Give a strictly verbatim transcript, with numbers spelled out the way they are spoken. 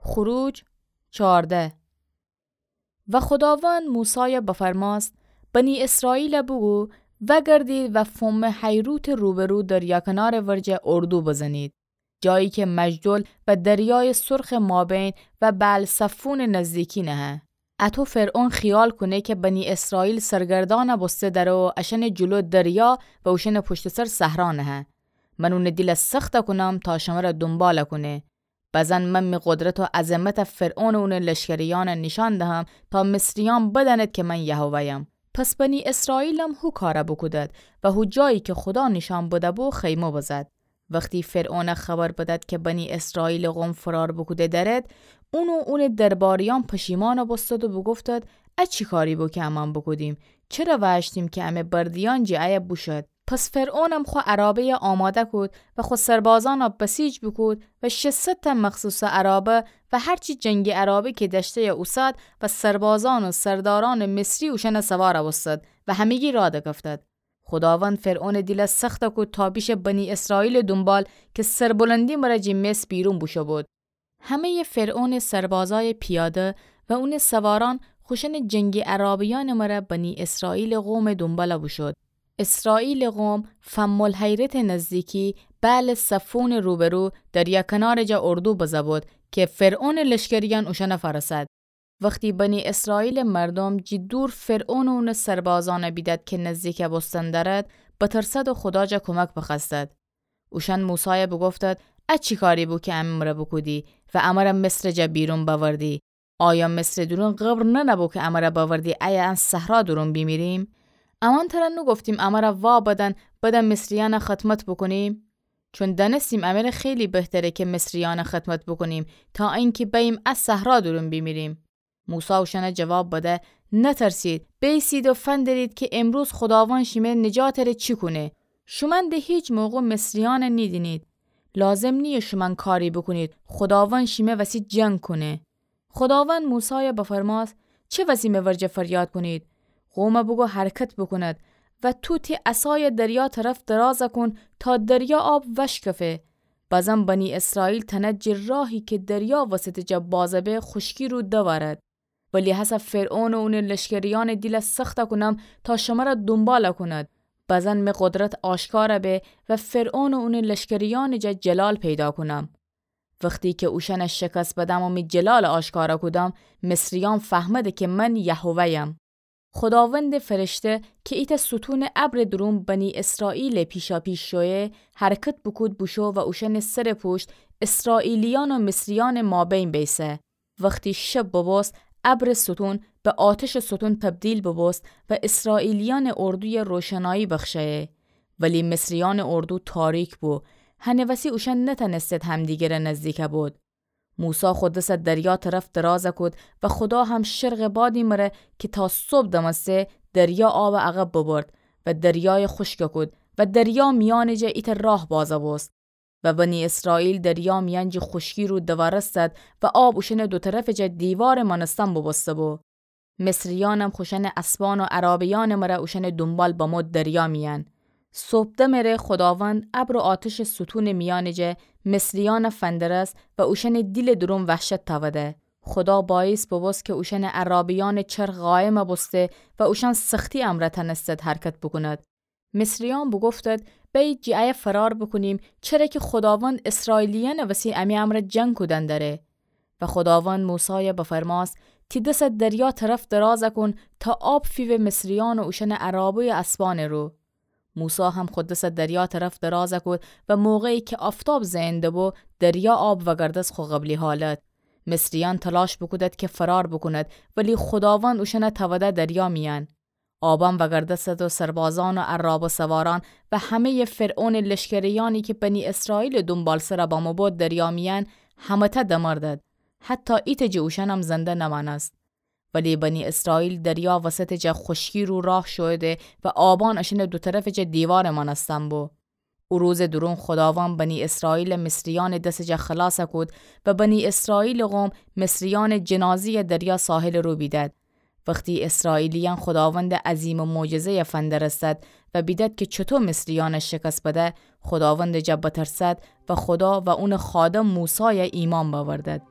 خروج چارده. و خوداوند موسایَ بفرماست: بنی اسرائیلَ بوگو، وأگردید و فومٚ حیروتٚ روبرو دریا کنارٚ ورجه اردو بزنید، جایی که مجدل و دریایٚ سرخٚ مابین و بعل‌صفونٚ نزدیکی نهه. اطو فرعون خیال کونه که بنی اسرائیل سرگردانَ بوسته دره و اشأنٚ جلو دریا و اوشأنٚ پشتٚ سر صحرا نهه. من اونٚ دیلَ سختَ کونم تا شمرَ دونبالَ کونه. بزن من می قدرت و عظمتَ فرعون و اونٚ لشکریأنَ نیشأن دهم تا مصریأن بدأند که من یهوه‌یم. پس بنی اسرائیلم هو کارَ بوکودد و هو جایی که خودا نیشأن بده‌بو خیمه بزد. وختی فرعونَ خبر بدد که بنی اسرائیلٚ قوم فرار بوکوده دأرد، اون و اونٚ درباریأن پشیمانَ بوستد و بوگفتد: ا چی کاری بو که امأن بوکودیم؟ چره وأشتیم که امه بردیأن جٚه ایه بوشد؟ پس فرعونم خو عرابه‌یَ آماده کود و خو سربازأنَ بسیج بوکود و ششصد تأ مخصوصٚ عرابه و هر چی جنگی عرابه که دأشته‌یَ اوسد و سربازأن و سردارأنٚ مصری اوشأنَ سوارَ بوستد و همگی راه دکفتد. خوداوند فرعونٚ دیلَ سختَ کود تا بیشه بنی اسرائیلٚ دونبال که سربلندی مرأ جٚه مصر بیرون بوشو بود. همه‌یٚ فرعونٚ سربازأیٚ پیاده و اونٚ سوارأن خوشأنٚ جنگی عرابه‌یأنٚ مرأ بنی اسرائیلٚ قومٚ دونبالَ بوشود. اسرائیلٚ قوم فم‌الحیرتٚ نزدیکی بعل‌صفونٚ روبرو دریا کنارٚ جا اردو بزه بود که فرعونٚ لشکریأن اوشأنَ فأرسد. وختی بنی اسرائیلٚ مردوم جٚه دور فرعون و اونٚ سربازأنَ بیدد که نزدیکَ بوستن دأرد، بترسد و خودا جا کمک بخوأستد. اوشأن موسایَ بوگفتد: ا چی کاری بو که امه مرأ بوکودی و امرَ مصرٚ جا بیرون بأوردی؟ آیا مصرٚ دورون قبر ننه‌بو که امرَ بأوردی ایه ان صحرا دورون بیمیریم؟ امأن ترَ نوگفتیم امرَ وا بدن، بدأ مصریأنَ خدمت بوکونیم؟ چون دأنستیم امره خیلی بهتره که مصریأنَ خدمت بوکونیم تا اینکه بأییم ا صحرا دورون بیمیریم. موسی اوشأنَ جواب بده: نترسید، بأیسید و فندرید که امروز خوداوند شیمه نجاتٚ ره چی کونه. شومأن د هیچ موقع مصریأنَ نیدینید. لازم نییه شومأن کاری بوکونید، خوداوند شیمه وسی جنگ کونه. خوداوند موسایَ بفرماست: چه وسی می ورجه فریاد کونید؟ قومَ بوگو حرکت بوکوند و تو تی عصایَ دریا طرف درازَ کون تا دریا آب وأشکفه. بزن بنی اسرائیل تأند جٚه راهی که دریا وسطٚ جا بازَ به خوشکی رو دورد. ولی هسه فرعون و اونٚ لشکریأنٚ دیلَ سختَ کونم تا شمرَ دونبالَ کوند. بزن می قدرت آشکارَ به و فرعون و اونٚ لشکریأنٚ جا جلال پیدا کونم. وختی که اوشأنَ شکست بدم و می جلالَ آشکارَ کودم، مصریأن فهمده که من یهوه‌یم. خوداوندٚ فرشته که ایتأ ستونٚ ابرٚ دورون بنی اسرائیلٚ پیشاپیش شویه، حرکت بوکود بوشو و اوشأنٚ سرٚ پوشت اسرائیلیأن و مصریأنٚ مابین بیسه. وختی شب ببوست، ابرٚ ستون به آتشٚ ستون تبدیل ببوست و اسرائیلیأنٚ اردویَ روشنایی بخشه‌یه. ولی مصریأنٚ اردو تاریک بو، هنٚ وسی اوشأن نتأنستد همدیگرٚ نزدیکَ بود. موسی خو دسَ دریا طرف درازَ کود و خودا هم شرقٚ بادی مره که تا صبح دمسته، دریا آبَ عقب ببرد و دریایَ خوشکَ کود و دریا میأنٚ جا ایتأ راه بازَ بوست. و بنی اسرائیل دریا میأن جٚه خوشکی رو دوارستد و آب اوشأنٚ دو طرفٚ جا دیوارٚ مأنستن بوبوسته‌بو. مصریأنم خوشأنٚ اسبأن و عرابه‌یأنٚ مره اوشأنٚ دونبال بمو دریا میأن. صبح دمٚ ره خوداوند ابر و آتشٚ ستونٚ میأنٚ جا مصریأنَ فندرست و اوشأنٚ دیلٚ دورون وحشت تأوده. خودا باییس ببوست که اوشأنٚ عرابه‌یأنٚ چرخ قایمَ بوسته و اوشأن سختی امرأ تأنستد حرکت بوکوند. مصریأن بوگفتد: بأیید جٚه ایه فرار بوکونیم، چره که خوداوند اسرائیلیأنٚ وسی امی امرأ جنگ کودن دأره. و خوداوند موسایَ بفرماست: تی دسَ دریا طرف درازَ کون تا آب فیوه مصریأن و اوشأنٚ عرابه و اسبأنٚ رو. موسی هم خو دسَ دریا طرف درازَ کود و موقعی که آفتاب زئن دبو، دریا آب وأگردست خو قبلی حالت. مصریأن تلاش بوکودد که فرار بوکوند، ولی خوداوند اوشأنَ تأوده دریا میأن. آبم وأگردستد و سربازأن و عرابه سوارأن و همه‌یٚ فرعونٚ لشکریأنی که بنی اسرائیلٚ دونبالسرَ بمو بود دریا میأن، همه‌تأ دمردد. حتی ایتأ جٚه اوشأنم زنده نمأنست. ولی بنی اسرائیل دریا وسطٚ جا خوشکی رو راه شویده و آبأن اشأنٚ دو طرفٚ جا دیوارٚ مأنستن بو. او روزٚ دورون خوداوند بنی اسرائیلَ مصریأنٚ دسٚ جا خلاصَ کود و بنی اسرائیلٚ قوم مصریأنٚ جنازه‌یَ دریا ساحلٚ رو بیدد. وختی اسرائیلیأن خوداوندٚ عظیمٚ معجزه‌یَ فندرستد و بیدد که چوطو مصریأنَ شکست بده، خوداوندٚ جا بترسد و خودا و اونٚ خادم موسایَ ایمأن بأوردد.